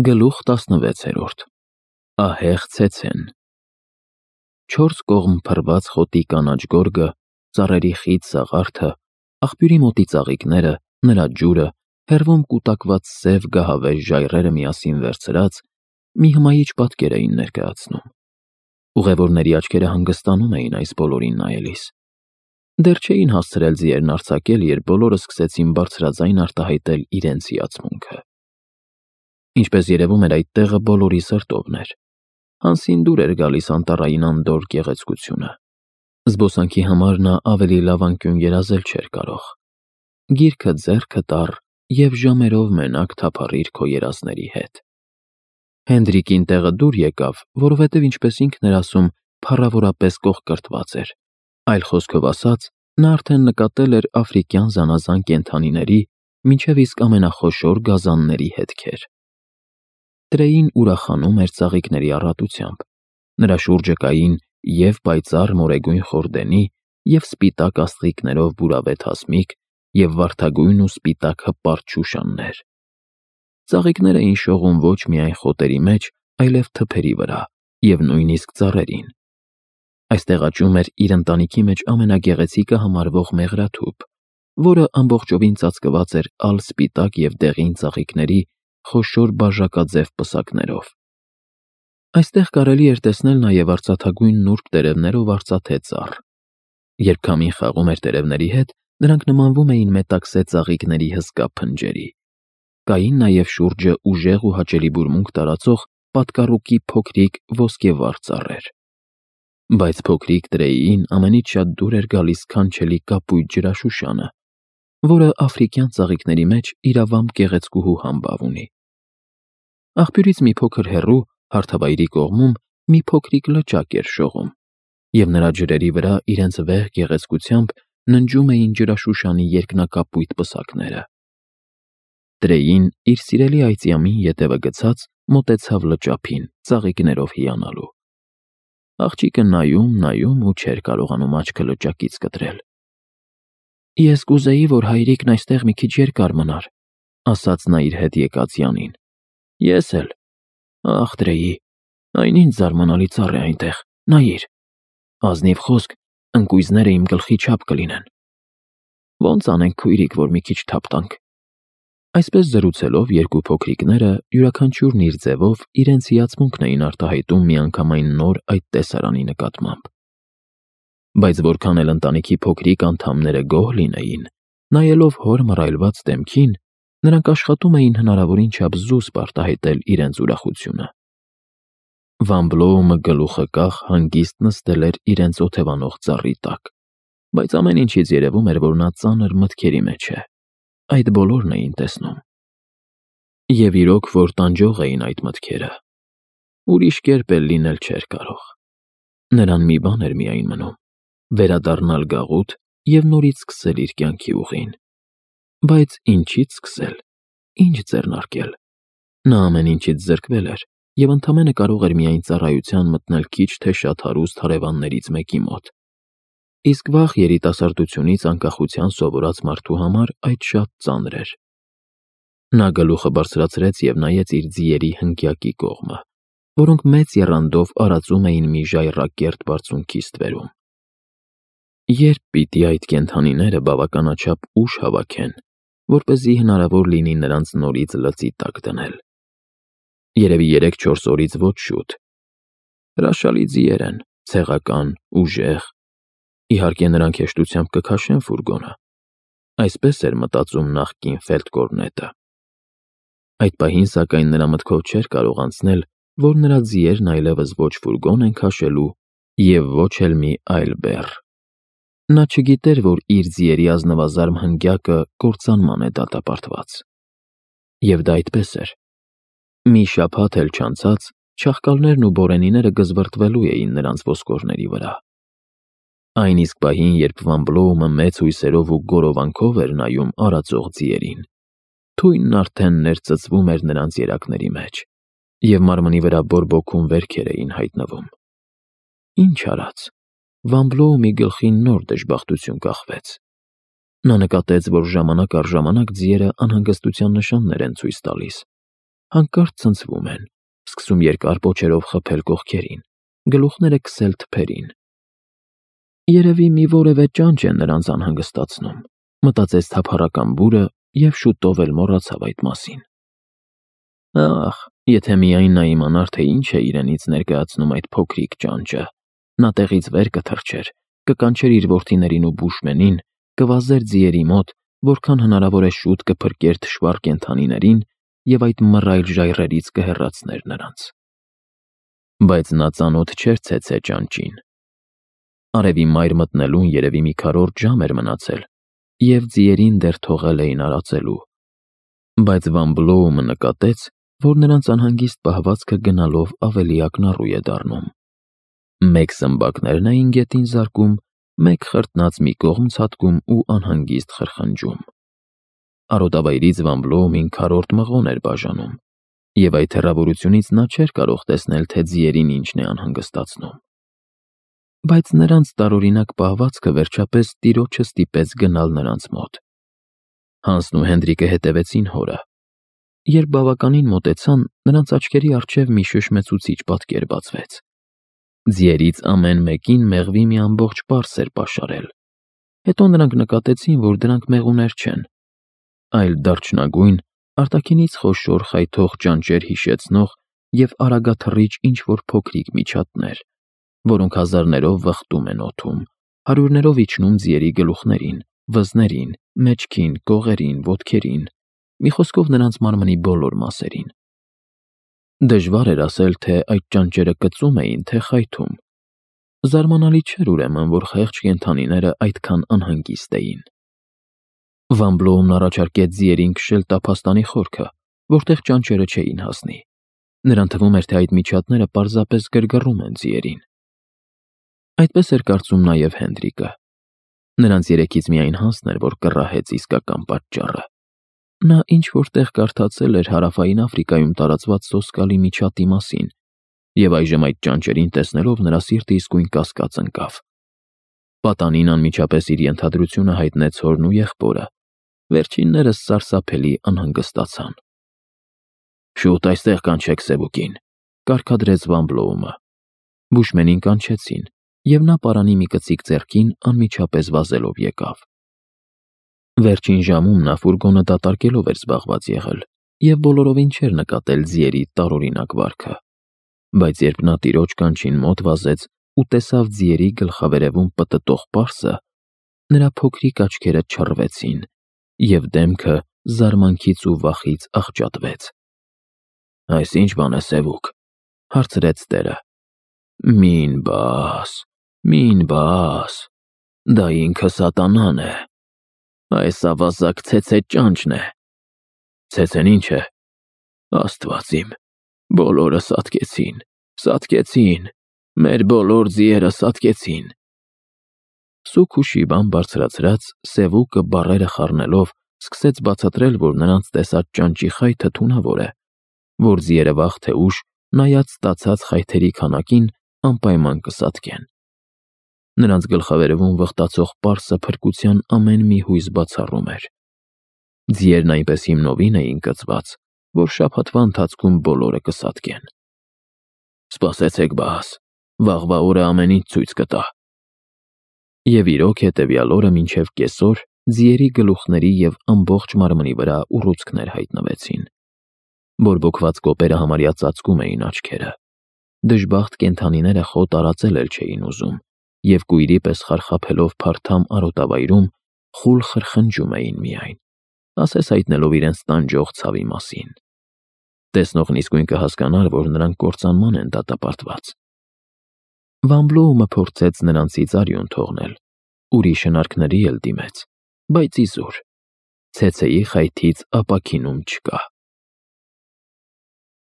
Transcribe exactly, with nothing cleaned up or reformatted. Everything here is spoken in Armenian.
Գլուխ տասնվեցերորդ Ահեղ ցեցեն Չորս կողմ փռված խոտի կանաչ գորգը, ծառերի խիտ սաղարթը, աղբյուրի մոտի ծաղիկները, նրա ջուրը, հեռվում կուտակված սև գահավեժ ժայռերը միասին վերցրած, մի հմայիչ պատկեր էին ներկայացնում։ Ուղևորների աչքերը հանգստանում էին այս բոլորին նայելիս։ Դեռ չէին հասցրել ձիերն արձակել, երբ բոլորը սկսեցին բարձրաձայն արտահայտել իրենց հիացմունքը։ Ինչպես երևում էր, այդ տեղը բոլորի սրտովն էր։ Հանսին դուր էր գալիս անտառային անդորր գեղեցկությունը։ Զբոսանքի համար նա ավելի լավ անկյուն երազել չէր կարող։ Գիրքը ձեռքը տար և ժամերով մենակ թափառիր քո երազների հետ։ Հենդրիկին տեղը դուր եկավ, որովհետև ինչպես ինքն էր ասում, փառավորապես կողկրտված էր։ Այլ խոսքով ասած, նա արդեն նկատել էր աֆրիկյան զանազան կենդանիների, մինչև իսկ ամենախոշոր գազանների հետքեր։ Տրեին ուրախանում էր ծաղիկների առատությամբ։ Նրա շուրջը կային և պայծառ մորեգույն խորդենի, և սպիտակ աստղիկներով բուրավետ հասմիկ, և վարդագույն ու սպիտակ հպարտ շուշաններ։ Ծաղիկներ էին շողում ոչ միայն խոտերի մեջ, այլև թփերի վրա և նույնիսկ ծառերին։ Այստեղ աճում էր իր ընտանիքի մեջ ամենագեղեցիկը համարվող մեղրաթուփ, որը ամբողջովին ծածկված էր ալ սպիտակ և դեղին ծաղիկների խոշոր բաժակաձև պսակներով։ Այստեղ կարելի էր տեսնել նաև արծաթագույն նուրբ տերևներով արծաթե ծառ։ Երբ քամին խաղում էր տերևների հետ, նրանք նմանվում էին մետաքսե ծաղիկների հսկա փնջերի։ Կային նաև շուրջը ուժեղ ու հաճելի բուրմունք տարածող պատկառուկի փոքրիկ ոսկեվառ ծառեր։ Բայց փոքրիկ Տրեիին ամենից շատ դուր էր գալիս սքանչելի կապույտ ջրաշուշանը, որը աֆրիկյան ծաղիկների մեջ իրավամբ գեղեցկուհու համբավ ունի։ Աղբյուրից մի փոքր հեռու, հարթավայրի կողմում, մի փոքրիկ լճակ էր շողում, և նրա ջրերի վրա իրենց վեհ գեղեցկությամբ ննջում էին ջրաշուշանի երկնակապույտ պսակները։ Տրեին, իր սիրելի այծյամին ետևը գցած, մոտեցավ լճափին, ծաղիկներով հիանալու։ Աղջիկը նայում, նայում ու չէր կարողանում աչքը լճակից կտրել։ «Ես կուզեի, որ հայրիկն այստեղ մի քիչ երկար մնար», ասաց նա իր հետ եկած Յանին։ «Ես էլ։ Ախ, Տրեյի, այն ինչ զարմանալի ծառ է այնտեղ, նայիր։ Ազնիվ խոսք, ընկույզները իմ գլխի չափ կլինեն։ Ո՞նց անենք, քույրիկ, որ մի քիչ թափ տանք»։ Այսպես զրուցելով երկու փոքրիկները, յուրաքանչյուրն իր ձևով, իրենց հիացմունքն էին արտահայտում միանգամայն նոր այդ տեսարանի նկատմամբ։ Բայց որքան էլ ընտանիքի փոքրիկ անդամները գոհ լինեին, նայելով հոր մռայլված դեմքին, նրանք աշխատում էին հնարավորին չափ զուսպ արտահայտել իրենց ուրախությունը։ Վան Բլոումը գլուխը կախ հանգիստ նստել էր իրենց օթևանող ծառի տակ, բայց ամեն ինչից երևում էր, որ նա ծանր մտքերի մեջ է։ Այդ բոլորն էին տեսնում։ Եվ իրոք, որ տանջող էին այդ մտքերը։ Ուրիշ կերպ էլ լինել չէր կարող։ Նրան մի բան էր միայն մնում՝ վերադառնալ գաղութ և նորից սկսել իր կյանքի ուղին։ Բայց ինչի՞ց սկսել, ինչ ձեռնարկել։ Նա ամեն ինչից զրկվել էր և ընդամենը կարող էր միայն ծառայության մտնել քիչ թե շատ հարուստ հարևաններից մեկի մոտ։ Իսկ վաղ երիտասարդությունից անկախության սովորած մարդու համար այդ շատ ծանր էր։ Նա գլուխը բարձրացրեց և նայեց իր ձիերի հնգյակի կողմը, որոնք մեծ եռանդով արածում էին մի ժայռակերտ բարձունքի ստվերում։ Երբ պիտի այդ կենդանիները բավականաչափ ուժ հավաքեն, որպեսզի հնարավոր լինի նրանց նորից լծի տակ դնել։ Երևի երեք-չորս օրից ոչ շուտ։ Հրաշալի ձիեր են, ցեղական, ուժեղ։ Իհարկե նրանք հեշտությամբ կքաշեն ֆուրգոնը։ Այսպես էր մտածում նախկին ֆելդկորնետը։ Այդ պահին, սակայն, նրա մտքով չէր կարող անցնել, որ նրա ձիերն այլևս ոչ ֆուրգոն են քաշելու և ոչ էլ մի այլ բեռ։ Նա չգիտեր, որ իր ձիերի ազնվազարմ հնգյակը կործանման է դատապարտված։ Եվ դա այդպես էր։ Մի շաբաթ էլ չանցած, չաղկալներն ու բորենիները գզվռտվելու էին նրանց ոսկորների վրա։ Այն իսկ պահին, երբ Վան Բլոումը մեծ հույսերով ու գորովանքով էր նայում արածող ձիերին, թույնն արդեն ներծծվում էր նրանց երակների մեջ, և մարմնի վրա բորբոքում վերքեր էին հայտնվում։ Ինչ արած, Վան Բլոումի գլխին նոր դժբախտություն կախվեց։ Նա նկատեց, որ ժամանակ առ ժամանակ ձիերը անհանգստության նշաններ են ցույց տալիս։ հանկարծ ցնցվում են, սկսում երկար պոչերով խփել կողքերին, գլուխները քսել թփերին։ Երևի մի որևէ ճանճ է նրանց անհանգստացնում, մտածեց թափառական բուրը և շուտով էլ մոռացավ այդ մասին։ Ախ, եթե միայն նա իմանար, թե ինչ է իրենից ներկայացնում այդ փոքրիկ ճանճը, նա տեղից վեր կթռչեր, կկանչեր իր որդիներին ու բուշմենին, կվազեր ձիերի մոտ, որքան հնարավոր է շուտ կփրկեր թշվառ կենդանիներին և այդ մռայլ ժայռերից կհեռացներ նրանց։ Բայց նա ծանոթ չէր ցեցե ճանճին։ Արևի մայր մտնելուն երևի մի քառորդ ժամ էր մնացել, և ձիերին դեռ թողել էին արածելու։ Բայց Վան Բլոումը նկատեց, որ նրանց անհանգիստ պահվածքը գնալով ավելի ակնառու է դառնում։ Մեկ սմբակներն էին գետին զարկում, մեկ խրտնած մի կողմ ցատկում ու անհանգիստ խրխնջում։ Արոտավայրից Վան Բլոումին քառորդ մղոն էր բաժանում, և այդ հեռավորությունից նա չէր կարող տեսնել, թե ձիերին ինչն է անհանգստացնում։ Բայց նրանց տարօրինակ պահվածքը վերջապես տիրոջը ստիպեց գնալ նրանց մոտ։ Հանսն ու Հենդրիկը հետևեցին հորը։ Երբ բավականին մոտեցան, նրանց աչքերի առջև մի շշմեցուցիչ պատկեր բացվեց։ Ձիերից ամեն մեկին մեղվի մի ամբողջ պարս էր պաշարել։ Հետո նրանք նկատեցին, որ դրանք մեղուներ չեն, այլ դարչնագույն, արտաքինից խոշոր խայթող ճանճեր հիշեցնող և արագաթռիչ ինչ-որ փոքրիկ միջատներ, որոնք հազարներով վխտում են օդում, հարյուրներով իջնում ձիերի գլուխներին, վզներին, մեջքին, կողերին, ոտքերին, մի խոսքով նրանց մարմնի բոլոր մասերին։ Դժվար էր ասել, թե այդ ճանճերը կծում էին, թե խայթում։ Զարմանալի չէր ուրեմն, որ խեղճ կենդանիները այդքան անհանգիստ էին։ Վան Բլոումն առաջարկեց ձիերին քշել տափաստանի խորքը, որտեղ ճանճերը չէին հասնի։ Նրան թվում էր, թե այդ միջատները պարզապես գրգռում են ձիերին։ Այդպես էր կարծում նաև Հենդրիկը։ Նրանց երեքից միայն Հանսն էր, որ կռահեց իսկական պատճառը։ Նա ինչ-որ տեղ կարդացել էր Հարավային Աֆրիկայում տարածված սոսկալի միջատի մասին, և այժմ այդ ճանճերին տեսնելով նրա սիրտը իսկույն կասկած ընկավ։ Պատանին անմիջապես իր ենթադրությունը հայտնեց հորն ու եղբորը։ Վերջիններս սարսափելի անհանգստացան։ Շուտ այստեղ կանչեք Սևուկին, կարգադրեց Վան Բլոումը։ Բուշմենին կանչեցին, և նա պարանի մի կծիկ ձեռքին անմիջապես վազելով եկավ։ Վերջին ժամում նա ֆուրգոնը դատարկելով էր զբաղված եղել և բոլորովին չէր նկատել ձիերի տարօրինակ վարքը։ Բայց երբ նա տիրոջ կանչին մոտ վազեց ու տեսավ ձիերի գլխավերևում պտտող պարսը, նրա փոքրիկ աչքերը չռվեցին, և դեմքը զարմանքից ու վախից աղճատվեց։ Այս ի՞նչ բան է, Սևուկ, հարցրեց տերը։ Մին բաս, մին բաս, դա ինքը սատանան է։ Այս ավազակ ցեցե ճանճն է։ Ցեցեն ի՞նչ է։ Աստված իմ, բոլորը սատկեցին, սատկեցին, մեր բոլոր ձիերը սատկեցին։ Սուգ ու շիբան բարձրացրած, Սևուկը բառերը խառնելով սկսեց բացատրել, որ նրանց տեսած ճանճի խայթը թունավոր է, որ ձիերը վաղ թե ուշ, նայած ստացած խայթերի քանակին, անպայման կսատկեն։ Նրանց գլխավերևում վխտացող պարսը փրկության ամեն մի հույս բացառում էր։ Ձիերն այնպես հիմնովին էին կծված, որ շաբաթվա ընթացքում բոլորը կսատկեն։ Սպասեցեք բաս, վաղվա օրը ամեն ինչ ցույց կտա։ Եվ իրոք հետևյալ օրը մինչև կեսօր ձիերի գլուխների և ամբողջ մարմնի վրա ուռուցքներ հայտնվեցին։ Բորբոքված կոպերը համարյա ծածկում էին աչքերը։ Դժբախտ կենդանիները խոտ արածել էլ չէին ուզում, և կույրի պես խարխափելով փարթամ արոտավայրում խուլ խրխնջում էին միայն, ասես հայտնելով իրենց տանջող ցավի մասին։ Տեսնողն իսկույն կհասկանար, որ նրանք կործանման են դատապարտված։ Վան Բլոումը փորձեց նրանցից արյուն թողնել, ուրիշ հնարքների էլ դիմեց, բայց իզուր, ցեցեի խայթից ապաքինում չկա։